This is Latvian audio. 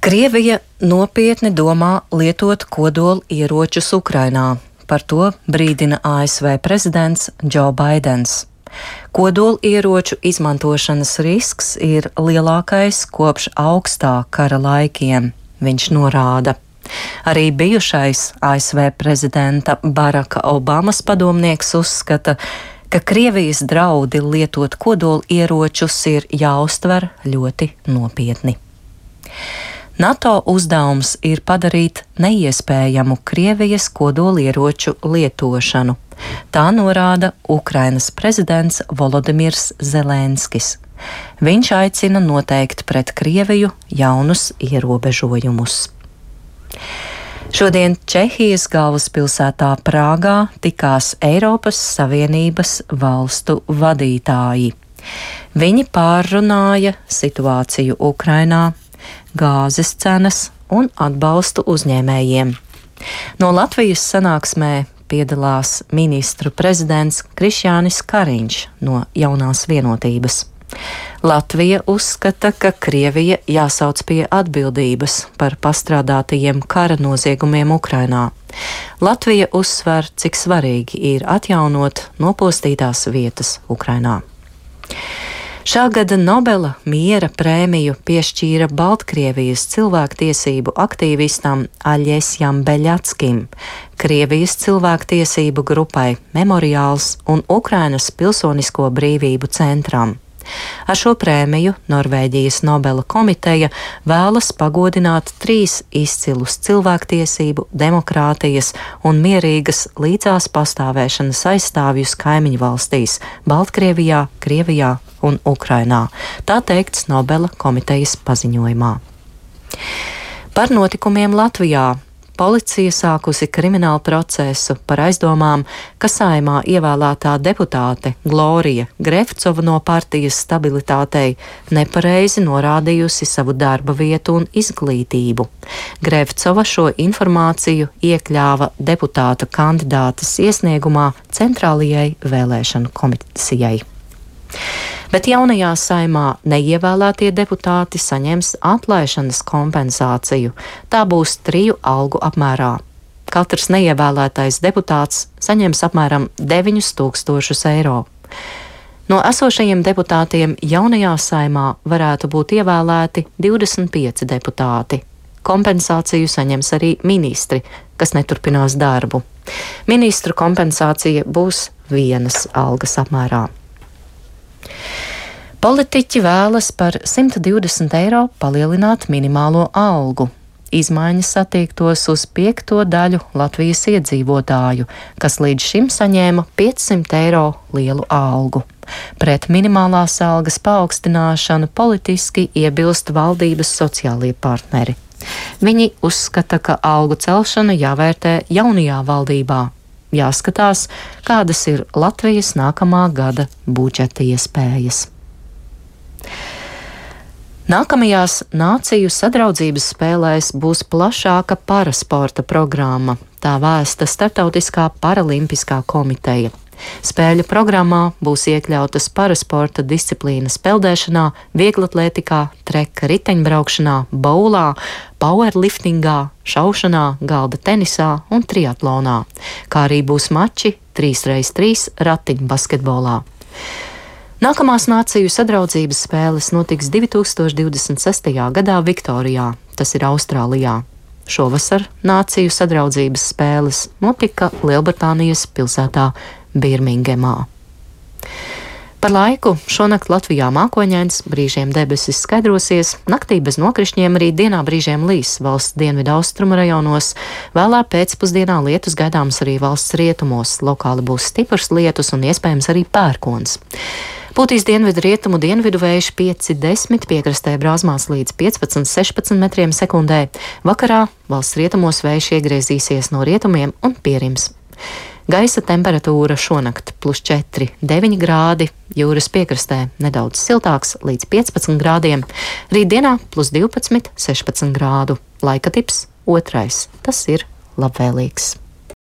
Krievija nopietni domā lietot kodola ieročus Ukrainā. Par to brīdina ASV prezidents Džo Baidens. Kodola ieroču izmantošanas risks ir lielākais kopš augstā kara laikiem, viņš norāda. Arī bijušais ASV prezidenta Baraka Obamas padomnieks uzskata, ka Krievijas draudi lietot kodola ieročus ir jāuztver ļoti nopietni. NATO uzdevums ir padarīt neiespējamu Krievijas kodolieroču lietošanu. Tā norāda Ukrainas prezidents Volodimirs Zelenskis. Viņš aicina noteikt pret Krieviju jaunus ierobežojumus. Šodien Čehijas galvaspilsētā Prāgā tikās Eiropas Savienības valstu vadītāji. Viņi pārrunāja situāciju Ukrainā, gāzes cenas un atbalstu uzņēmējiem. No Latvijas sanāksmē piedalās ministru prezidents Krišjānis Kariņš no Jaunās vienotības. Latvija uzskata, ka Krievija jāsauc pie atbildības par pastrādātajiem kara noziegumiem Ukrainā. Latvija uzsver, cik svarīgi ir atjaunot nopostītās vietas Ukrainā. Šā gada Nobela miera prēmiju piešķīra Baltkrievijas cilvēktiesību aktīvistam Aļesjam Beļatskim, Krievijas cilvēktiesību grupai Memoriāls un Ukrainas Pilsonisko brīvību centram. Ar šo prēmiju Norvēģijas Nobela komiteja vēlas pagodināt 3 izcilus cilvēktiesību, demokrātijas un mierīgas līdzās pastāvēšanas aizstāvjus kaimiņu valstīs – Baltkrievijā, Krievijā un Ukrainā. Tā teikts Nobela komitejas paziņojumā. Par notikumiem Latvijā. Policija sākusi kriminālu procesu par aizdomām, ka Saeimā ievēlētā deputāte Glorija Grevcova no partijas Stabilitātei nepareizi norādījusi savu darba vietu un izglītību. Grevcova šo informāciju iekļāva deputāta kandidātes iesniegumā Centrālajai vēlēšanu komisijai. Bet jaunajā Saeimā neievēlētie deputāti saņems atlaišanas kompensāciju. Tā būs 3 algu apmērā. Katrs neievēlētais deputāts saņems apmēram 9000 eiro. No esošajiem deputātiem jaunajā Saeimā varētu būt ievēlēti 25 deputāti. Kompensāciju saņems arī ministri, kas neturpinās darbu. Ministru kompensācija būs 1 algas apmērā. Politiķi vēlas par 120 eiro palielināt minimālo algu. Izmaiņas attiektos uz 5. daļu Latvijas iedzīvotāju, kas līdz šim saņēma 500 eiro lielu algu. Pret minimālās algas paaugstināšanu politiski iebilst valdības sociālie partneri. Viņi uzskata, ka algu celšana jāvērtē jaunajā valdībā. Jāskatās, kādas ir Latvijas nākamā gada budžeta iespējas. Nākamajās Nāciju sadraudzības spēlēs būs plašāka parasporta programma. Tā vēsta Startautiskā paralimpiskā komiteja. Spēļu programmā būs iekļautas parasporta disciplīnas peldēšanā, vieglatlētikā, treka riteņbraukšanā, boulā, powerliftingā, šaušanā, galda tenisā un triatlonā, kā arī būs mači 3x3 ratiņbasketbolā. Nākamās Nāciju sadraudzības spēles notiks 2026. gadā Viktorijā, tas ir Austrālijā. Šovasar Nāciju sadraudzības spēles notika Lielbritānijas pilsētā Birmingemā. Par laiku šonakt Latvijā mākoņains, brīžiem debesis skaidrosies, naktī bez nokrišņiem, arī dienā brīžiem līs valsts dienvidu austrumu rajonos, vēlā pēcpusdienā lietus gaidāms arī valsts rietumos, lokāli būs stiprs lietus un iespējams arī pērkons. Pūtīs dienvidu rietumu dienvidu vējš 5–10, piekrastē brāzmās līdz 15–16 metriem sekundē. Vakarā valsts rietumos vējš iegriezīsies no rietumiem un pierims. Gaisa temperatūra šonakt +4–9 grādi, jūras piekrastē nedaudz siltāks līdz 15 grādiem, rītdienā +12–16 grādu. Laika tips 2. Tas ir labvēlīgs.